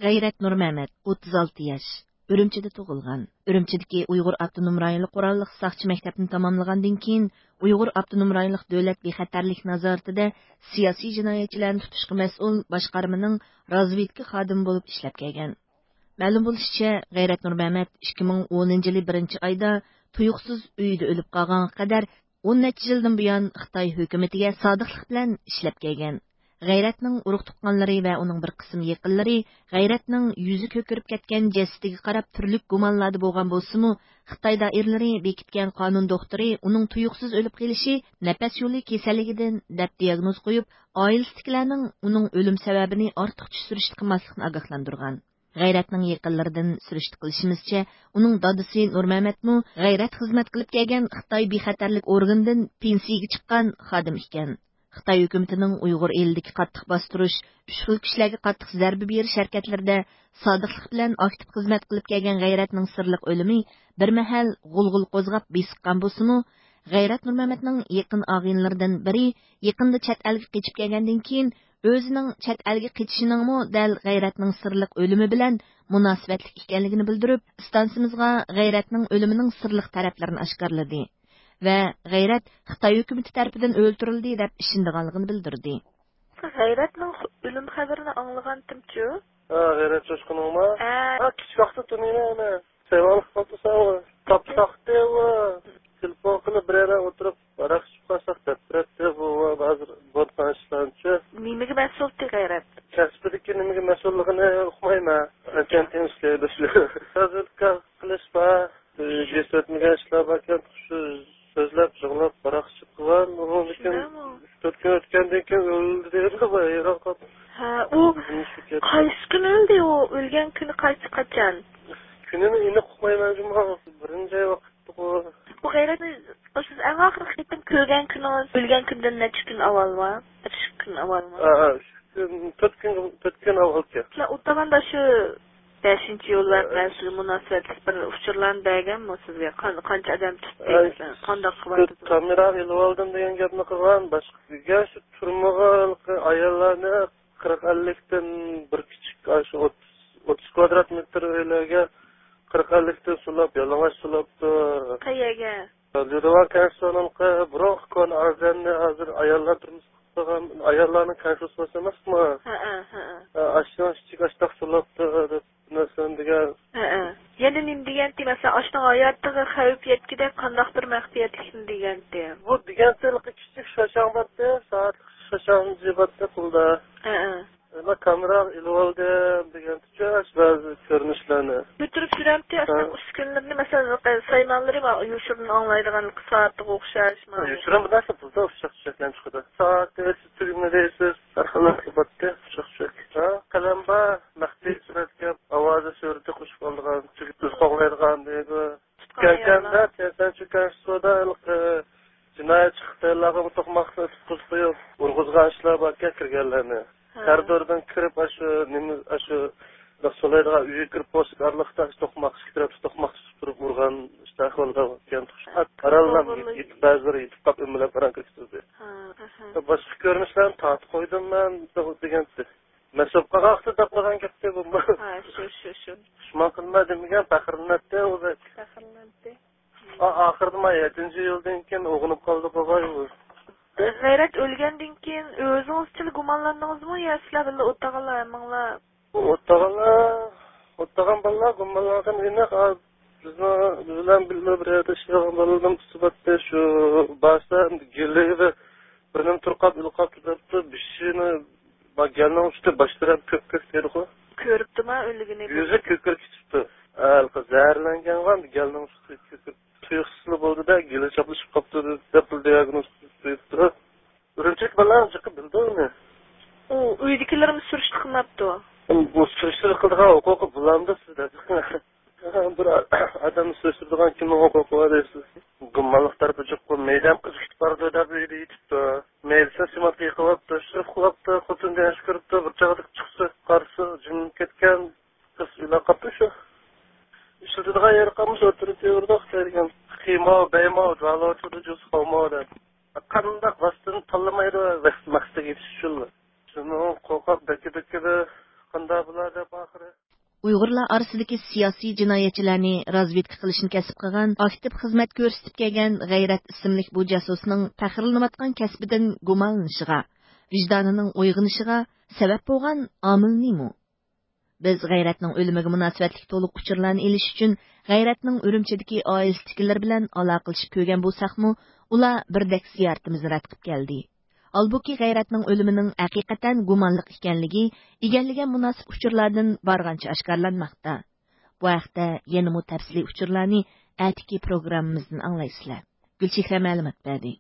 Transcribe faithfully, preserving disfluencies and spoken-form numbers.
غەيرەت نۇرمەمەت، ئوتتۇز ئالتە ياش، ئۈرۈمچىدە تۇغۇلغان. ئۈرۈمچىدىكى ئۇيغۇر ئاپتونوم رايونلۇق قوراللىق ساقچى مەكتەپنى تاماملىغاندىن كېيىن، ئۇيغۇر ئاپتونوم رايونلۇق دۆلەت بىخەتەرلىك نازارىتىدە سىياسىي جىنايەتچىلەرنى تۇتۇشقا مەسئۇل باشقارمىنىڭ رازۋېدكا خادىمى بولۇپ ئىشلەپ كەلگەن. مەلۇم بولۇشىچە، غەيرەت نۇرمەمەت ئىككى مىڭ ئونىنچى يىلى بىرىنچى ئايدا تۇيۇقسىز ئۆيىدە ئۆلۈپ قالغانغا قەدەر ئون نەچچە يىلدىن بۇيان خىتاي ھۆكۈمىتىگە سادىقلىق بىلەن ئىشلەپ كەلگەن. غەيرەتنىڭ ئۇرۇق-تۇغقانلىرى ۋە ئۇنىڭ بىر قىسىم يېقىنلىرى غەيرەتنىڭ يۈزى كۆكىرىپ كەتكەن جەسىتىگە قاراپ تۈرلۈك گۇمانلاردا بولغان بولسىمۇ، خىتاي دائىرىلىرى بېكىتكەن قانۇن دوختۇرى ئۇنىڭ تۇيۇقسىز ئۆلۈپ قېلىشى نەپەس يولى كېسەللىكىدىن دەپ دىياگنوز قويۇپ، ئائىلىسىدىكىلەرنىڭ ئۇنىڭ ئۆلۈم سەۋەبىنى ئارتۇقچە سۈرۈشتە قىلماسلىقنى ئاگاھلاندۇرغان. غەيرەتنىڭ يېقىنلىرىدىن سۈرۈشتە قىلىشىمىزچە، ئۇنىڭ دادىسى نۇرمەمەتمۇ غەيرەت خىزمەت قىلىپ كەلگەن خىتاي بىخەتەرلىك ئورگىنىدىن پېنسىيىگە چىققان خادىم ئىكەن. خىتاي ھۆكۈمىتىنىڭ ئۇيغۇر ئېلىدىكى قاتتىق باستۇرۇش، ئۈچ خىل كۈچلەرگە قاتتىق زەربە بېرىش ھەرىكەتلىرىدە سادىقلىق بىلەن ئاكتىپ خىزمەت قىلىپ كەلگەن غەيرەتنىڭ سىرلىق ئۆلۈمى بىر مەھەل غۇلغۇلا قوزغاپ بېسىققان بولسىمۇ، غەيرەت نۇرمەمەتنىڭ يېقىن ئاغىنىلىرىدىن بىرى يېقىندا چەت ئەلگە قېچىپ كەلگەندىن كېيىن، ئۆزىنىڭ چەت ئەلگە قېچىشىنىڭمۇ دەل غەيرەتنىڭ سىرلىق ئۆلۈمى بىلەن مۇناسىۋەتلىك ئىكەنلىكىنى بىلدۈرۈپ، ئىستانسىمىزغا غەيرەتنىڭ ئۆلۈمىنىڭ سىرلىق تەرەپلىرىنى ئاشكارىلىدى ۋە غەيرەت خىتاي ھۆكۈمىتى تەرىپىدىن ئۆلتۈرۈلدى دەپ ئىشىنىدىغانلىقىنى بىلدۈردى. غەيرەتنىڭ ئۆلۈم خەۋىرىنى ئاڭلىغانتىمچۇ؟ ھە، غەيرەت چوشقىنىڭما؟ ھە. ھە، كىچىك ۋاقىتتا تونۇيمەن ئۇنى. سەۋەنلىك قالدى ساڭا. تاپساقتى ئۇ. تېلېفون قىلىپ بىر يەردە ئولتۇرۇپ ھاراق ئىچىپ قالساق دەپ بېرەتتى. بۇ ھازىر بولغان ئىشلارنىچۇ. نېمىگە مەسئۇلتى غەيرەت؟ كەسپىدىكى نېمىگە مەسئۇللۇقىنى ئۇقمايمەن. ئەنچەنتىن ئىشلەيدۇ شۇ. ھازىر كار قىلىش بار. يېتىۋەتمىگەن ئىشلار باركەن، شۇ سۆزلەپ، يىغلاپ، ھاراق ئىچىپ قىلغان. ئۇنىڭدىن كېيىن شۇنداقمۇ؟ ئۈچ تۆت كۈن ئۆتكەندىن كېيىن ئۆلدى دەيدۇ، ھەيران قالدىم. ھە، ئۇ نېمە ئىش بولۇپ كەتتى؟ قايسى كۈنى ئۆلدى ئۇ؟ ئۆلگەن كۈنى قايسى، قاچان؟ كۈنىنى ئېنىق ئۇقمايمەن جۇمۇ. بىرىنچى ئاي ۋاقىتتىغۇ. بۇ غەيرەتنى سىز ئەڭ ئاخىرقى قېتىم كۆرگەن كۈنىڭىز ئۆلگەن كۈندىن نەچچە كۈن ئاۋۋالمۇ؟ ئۈچ كۈن ئاۋۋالمۇ؟ ھە، ھە، ئۈچ كۈن، تۆت كۈن، تۆت كۈن ئاۋۋالكەن. سىلەر ئولتۇرغاندا شۇ بەشىنچى يوللار ھە. بىلەن سىزگە مۇناسىۋەتلىك بىر ئۇچۇرلارنى بەرگەنمۇ سىزگە؟ قان-، قانچە ئادەم تۇتتى، ھە، مەسىلەن، قانداق قىلىۋاتىدۇ؟ كامېراغا ئېلىۋالدىم دېگەن گەپنى قىلغان، باشقا دېگەن شۇ تۈرمىگە ئاياللارنى قىرىق ئەللىكتىن بىر كىچىك، ئاشۇ ئوتتۇز، ئوتتۇز كۋادرات مېتىر ئۆيلەرگە قىرىق ئەللىكتىن سولاپ، يالىڭاچ سولاپتۇ. قەيەرگە؟ ليۇدېۋان كەنشۇسىنىڭكى بۇرۇنقى كونا ئارزەننى ھازىر ئاياللار تۇرمۇش قىلىدىغان ئاياللارنىڭ كەنشۇسى بولسا ئەمەسمۇ؟ ھەئە، ھەئە. ئاشۇنىڭ ئىچىگە ئاشتاق سولاپتۇ دەپ نەرسىلەرنى دېگەن. ھەئە. يەنە نېمە دېگەنتى، مەسىلەن، ئاشۇنىڭ ھاياتىغا خەۋپ يەتكۈدەك قانداق بىر مەخپىيەتلىكنى دېگەنتى. بۇ دېگەنتى كىچىك شاشاڭ بارتى، سائەتلىك شاشاڭ بارتى قولدا. ھەئە. ئەمما كامېراغا ئېلىۋالدىم دېگەنتىچۇ، بەزى كۆرۈنۈشلەرنى. كۆتۈرۈپ يۈرەمتى، ھە. ئاشۇنداق ئۈسكۈنىلىرىنى، مەسىلەن، سايمانلىرى بار، يوشۇرۇن ئاڭلايدىغان سائەتكە ئوخشاش. يوشۇرۇن بىر نەرسە بۇلدا ئۇششاق چۈشەكلەرنى چىقىدۇ. سائەتنى ئۆچۈپ تۈگىمىدى دەيسىز، ھەر خىل نەرسە بارتى، ئۇششاق چۈشەك. ھە، قەلەم بار، مەخپىي سۈرەتكە ئاۋازى سۈرىتى قوشۇپ ئالىدىغان، تۈگۈپ تۇرۇپ قوغلايدىغان دەيدۇ. كەلگەندە، سەنچۇ كەنشۇدا ھېلىقى جىنايەتچى خىتايلارغا بۇ توقماقنى ئېتىپ قويۇپ، ئۇرغۇزغان ئىشلار باركەن كىرگەنلەرنى. ھە. كارىدوردىن كىرىپ، ئاشۇ نېمە، ئاشۇ سولايدىغان ئۆيگە كىرىپ بولسا ئارىلىقتا توقماق، ئىككى تەرەپتە توقماق تۇتۇپ تۇرۇپ ئۇرغان ئىشلار ئىكەن. ئارانلا توغرىلىق. يېتىپ، بەزىلىرى يېتىپ قاپ ئۆمىلەپ ئاران كۆكتۈردى. ھە، ئەھە. باشقا كۆرۈنۈشلەرنى تارتىپ قويدۇم مەن دېگەنتى. مەسئۇل قاقاقتا دەپ قويغان گەپتى بۇ. ھە، شۇ، شۇ، شۇ. پۇشمان قىلما دېمىگەن، پەخىرلىنەتتى ئۇ بەك. پەخىرلىنەتتى. ئا-، ئاخىرىدا ما يەتتىنچى يىلدىن كېيىن ئوغۇنۇپ قالدى بوغاي ئۇ. غەيرەت ئۆلگەندىن كېيىن ئۆزىڭىزچىلا گۇمانلاندىڭىزمۇ يا سىلەر بىللە ئولتۇرغانلار ھەممىڭلار؟ ئولتۇرغانلار، ئولتۇرغان بالىلار گۇمانلانغان ئېنىق. ئا، بىزنىڭ، بىز بىلەن بىللە بىر يەردە ئىشلەيدىغان بالىلىرىمىز ئۇسۇباتتى شۇ بارسا گېلى بىر نېمە تۇرقاپ ئىلقاپتۇ دەپتۇ. بېشىنى، ما گەلنىڭ ئۈستى باش تەرەپ كۆك كۆك دەيدىغۇ. كۆرۈپتۇما ئۆلگىنى؟ يۈزى كۆكىرىپ كېتىپتۇ. ھېلىقى زەھەرلەنگەنغا گەلنىڭ ئۈستى كۆكىرىپ، تۇيۇقسىزلا بولدى-دە، گېلى چاپلىشىپ قاپتۇ دەپ بىر دىياگنوز قويۇپتۇ. ئۈرۈمچىدىكى بالىلار جىقى بىلدى ئۇنى. ئۇ ئۆيدىكىلىرمۇ سۈرۈشتە قىلماپتۇ؟ بۇ سۈرۈشتە قىلىدىغان ھوقۇقى بۇلامدۇ سىزدە؟ بىر ئادەمنى سۈرۈشتۈرىدىغان كىمنىڭ ھوقۇقى بار دەيسىز؟ گۇمانلىق تەرىپى جىق، بۇ مەيدەم قىزىپ كېتىپ بارىدۇ دەپ ئۆيدە يېتىپتۇ. مەيلىسى سىماتكا يېقىۋاپتۇ، شىرىپ قىلىپتۇ، خوتۇن دېگەن ئىش كۆرۈپتۇ، بىر چاغدا چىقسا قارىسا جىمىپ كەتكەن. قىز ئۆلۈپ قاپتۇ شۇ. ئىشلىتىدىغان يېرى قالمىسا ئوتتۇرىغا تېۋىرىدۇ خىتاي دېگەن. خىماۋ، بەيماۋ، جۇالو، چۇدۇ، جۇس، خاۋماۋ دەپ. قانداق ۋاسىتىنى تاللىمايدۇ مەقسىتىگە يېتىش ئۈچۈنلا. شۇنىڭ قورقاق بەككە-بەككىدە قانداق بۇلار دەپ ئاخىرى. ئۇيغۇرلار ئارىسىدىكى سىياسىي جىنايەتچىلەرنى رازۋېدكا قىلىشنى كەسىپ قىلغان، ئاكتىپ خىزمەت كۆرسىتىپ كەلگەن غەيرەت ئىسىملىك بۇ جاسۇسنىڭ پەخىرلىنىۋاتقان كەسپىدىن گۇمانلىنىشىغا، ۋىجدانىنىڭ ئويغىنىشىغا سەۋەب بولغان ئامىل نېمە؟ بىز غەيرەتنىڭ ئۆلۈمىگە مۇناسىۋەتلىك تولۇق ئۇچۇرلارنى ئېلىش ئۈچۈن غەيرەتنىڭ ئۈرۈمچىدىكى ئائىلىسىدىكىلىرى بىلەن ئالاقىلىشىپ كۆرگەن بولساقمۇ، ئۇلار بىردەك زىيارىتىمىزنى رەت قىلىپ كەلدى. ھالبۇكى، غەيرەتنىڭ ئۆلۈمىنىڭ ھەقىقەتەن گۇمانلىق ئىكەنلىكى ئىگىلىگەن مۇناسىپ ئۇچۇرلاردىن بارغانچە ئاشكارىلانماقتا. بۇ ھەقتە يەنىمۇ تەپسىلىي ئۇچۇرلارنى ئەتىكى پروگراممىمىزدىن ئاڭلايسىلەر. گۈلچېھرە مەلۇمات بەردى.